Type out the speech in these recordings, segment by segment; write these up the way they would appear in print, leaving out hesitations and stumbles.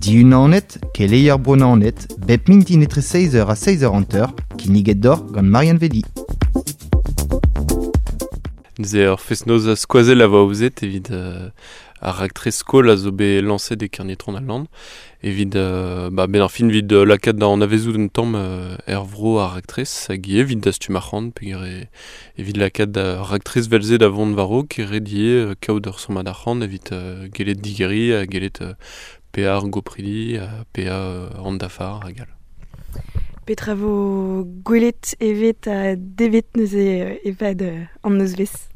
Diunanet, keleier Bro-Naoned, bep mintin etre 6h ha 6h50, kinniget deoc'h gant Marianne Vedi. Neuze ur fest-noz skoazell a vo aozet evit ar raktres skol a zo bet lañset e Kernitron al Lann evit ba benn ar fin evit lakaat da anavezout un tamm er vro ar raktres hag ivez evit dastum arc'hant peogwir evit lakaat ar raktres 'vel-se da vont war-raok e ret ivez kaout ur sammad arc'hant evit gellet digeriñ ha gellet paeañ ar gopridi ha paeañ an dafar hag all. Petra vo gwelet, evet ha devet neuze e-pad an nozvezh?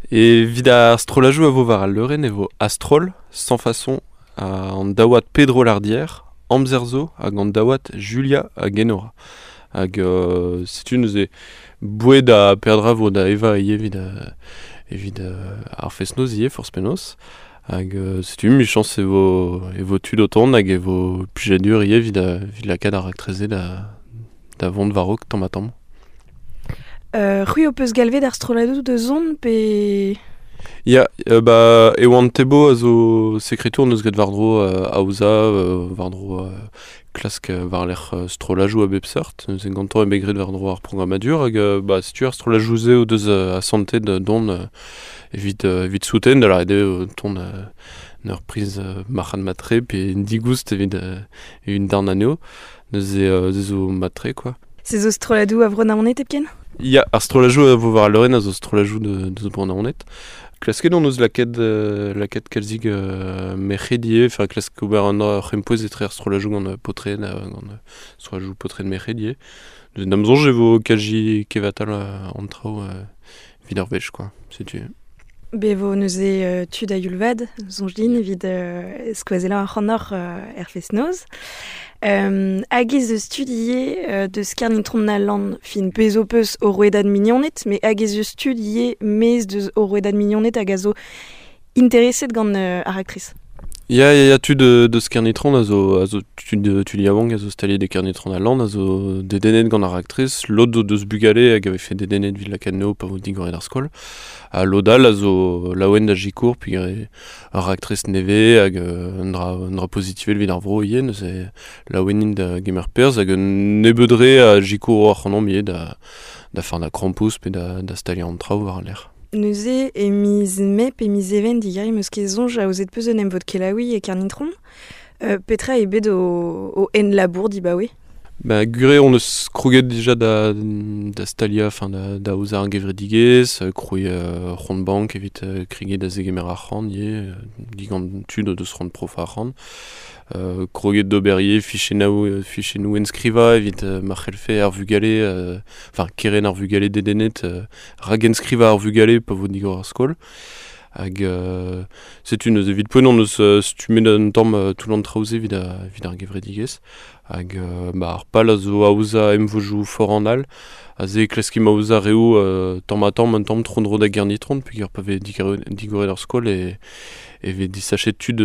Evit ar strollajoù a vo war al leurenn e vo A-stroll, Sans Façon, an daouad Pedro Lardière, Amzer zo hag an daouad Julia hag Enora. Hag setu neuze boued ha peadra vo da evañ ivez evit, evit ar fest-noz ivez forzh penaos. Hag setu 'michañs e vo e vo tud o tont hag e vo plijadur ivez evit evit lakaat ar raktres-se da da vont war-raok tamm-ha-tamm. C'hwi ho peus galvet ar strolladoù da zont pe... Ya, ba Ewan Thébault a zo sekretour neus graet war-dro aozañ, war-dro klask war-lerc'h strollajoù a bep seurt. Neuze gantañ eo bet graet war-dro ar programmadur hag ba setu ar strollajoù-se o deus asantet dont evit evit souten da lâret eo tont en ur priz marc'had-mat-tre pe digoust evit evit darn anezho. Neuze se zo mat-tre quoi. Se zo strolladoù a Vro-Naoned hepken? Ya, ar strollajoù a vo war al leurenn a zo strollajoù deus Bro-Naoned. Klasket hon eus lakaet lakaet kalzik merc'hed ivez, enfin klask ober un c'hempouez etre ar strollajoù gant paotred gant strollajoù paotred merc'hed ivez. Da'm soñj e vo kazi kevatal an traoù evit ar wech quoi, setu. Bet vo neuze tud a-youl vat, soñj din, evit skoazellañ ac'hanoc'h er fest-noz. Hag ez eus tud ivez deus Kernitron al Lann, fin pezh ho peus o rouedad mignoned, met hag ez eus tud ivez maez deus o rouedad mignoned hag a zo intereset gant ar raktres. Ya, ya, ya, tud deus Kernitron a zo, a zo tud, tud yaouank a zo staliet e Kernitron al Lann, a zo dedennet gant ar raktres. Lod o deus bugale hag a vefe dedennet evit lakaat anezho pa vo digoret ar skol. Ha lod all a zo laouen da sikour peogwir ur raktres nevez hag un dra, un dra pozitivel evit ar vro ivez. Neuze laouen int da gemer perzh hag un nebeud re a sikouro ac'hanomp ivez da, da fardañ krampouezh pe da, da staliañ an traoù war al lec'h. Neuze, e miz Mae pe miz Even digeriñ 'm eus ket soñj aozet 'peus un emvod kelaouiñ e Kernitron. Petra eo bet ho enlabour dibaoe? Ba gwir eo hon eus kroget dija da, da staliañ, enfin da, da aozañ ar gevredigezh, krouiñ ur c'hont bank evit kregiñ da zegemer arc'hant ivez, digant tud o deus c'hoant profañ arc'hant. Kroget d'ober ivez fichennoù, fichennoù enskrivañ evit ma c'hellfe ar vugale, enfin kerent ar vugale dedennet rak-enskrivañ ar vugale pa vo digor ar skol. Hag setu neuze evit poent hon eus stummet un tamm tout an traoù-se evit, evit ar gevredigezh. Hag ba, ar pal a zo aozañ emvodoù foran all. Aze e klaskimp aozañ reoù tamm-ha-tamm un tamm tro-dro da Gernitron peogwir pa vez digoret ar skol e, e vez disachet tud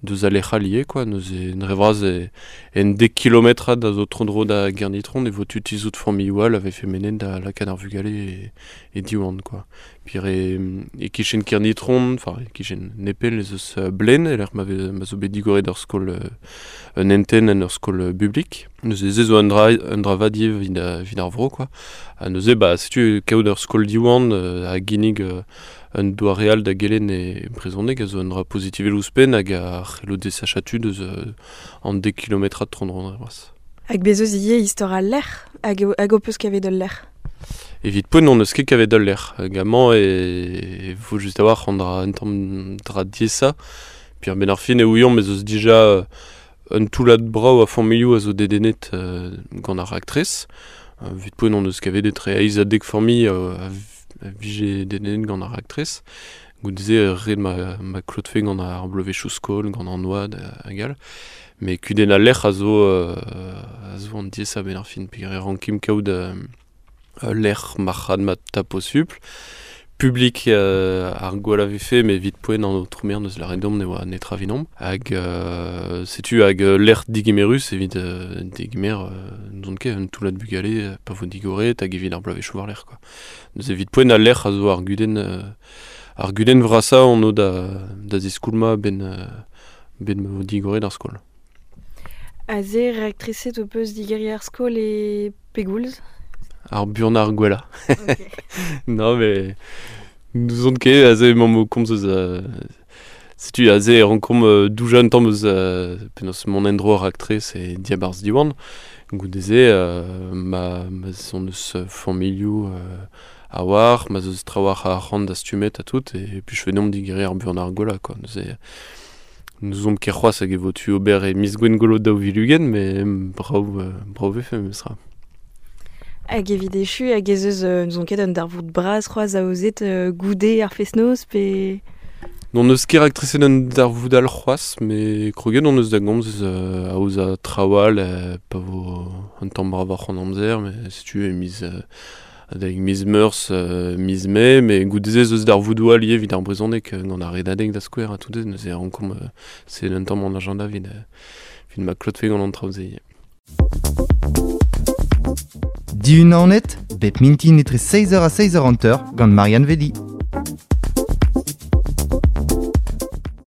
deus al lec'h all ivez quoi. Neuze dre vras e, en dek kilometrad a zo tro-dro da Gernitron e vo tu tizhout familhoù all a vefe mennet da lakaat ar vugale e, e Diwan quoi. Puis e, e-kichen Kernitron, enfin e-kichen Nepell ez eus Blen e-lec'h ma, vez, ma zo bet digoret ur skol un hentenn en ur skol publik. Neuze se zo un dra, un dra vat ivez evit, evit ar vro quoi. Ha neuze bah setu kaout ur skol Diwan a ginnig Un doare all da gelenn e brezhoneg a zo un dra pozitivel ouzhpenn hag a c'hello desachañ tud eus an dek kilometrad tro-dro c'hoazh. Hag bez' eus ivez istor al lec'h hag, hag ho peus kavet ul lec'h? Evit poent n'hon eus ket kavet ul lec'h. Hag amañ e vo just a-walc'h an dra un tamm dra diaesañ. Puis a-benn ar fin e ouiomp ez eus dija un toullad brav a familhoù a zo dedennet gant ar raktres. Evit poent hon eus kavet etre eizh ha dek familh a vije dedennet gant ar raktres. Goude-se ret ma, ma klotfe gant ar bloavezhioù skol, gant an oad hag all. Met kudenn al lec'h a zo, a zo an diaesañ a-benn ar fin peogwir e rankimp kaout ul lec'h marc'had-mat ha posupl. Publik ar gwall a vefe, met evit poent an aotrou maer neus lâret deomp ne oa netra evidomp. Hag setu hag lec'h digemerus evit degemer n'on ket un toullad bugale pa vo digoret hag evit ar bloavezhioù war-lerc'h quoi. Neuze evit poent al lec'h a zo ar gudenn ar gudenn vrasañ on o da, da ziskoulmañ a-benn benn ma vo digoret ar skol. Aze raktriset o peus digeriñ ar skol e pegoulz? Ar buan ar gwella. Okay. non, mais nous on ket aze emañ o komz eus... setu aze e rankomp doujañ un tamm eus penaos mont en-dro ar raktres e diabarzh Diwan. Goude-se ma ma 'z on eus familhoù a-walc'h, ma 'z eus trawalc'h a arc'hant dastumet ha tout, e plijfe deomp digeriñ ar buan ar gwellañ, quoi. Neuze n'ouzomp ket c'hoazh hag e vo tu ober e miz Gwengolo 2020, met brav, brav vefe memestra. Hag evit echu, hag ez eus, n'ouzon ket, un darvoud bras c'hoazh aozet goude ar fest-noz pe... N'hon eus ket raktreset un darvoud all c'hoazh, met kroget hon eus da gomz eus aozañ traoù all pa vo un tamm bravoc'h an amzer, met setu e miz adalek miz Meurzh, miz Mae, met goude-se ez eus darvoudoù all ivez evit ar brezhoneg gant ar Redadeg da skouer ha tout neuze rankomp sevel un tamm an agenda evit, evit ma klotfe gant an traoù-se ivez. Diunanet, bep mintin etre 6h ha 6h50 gant Marianne Vedi.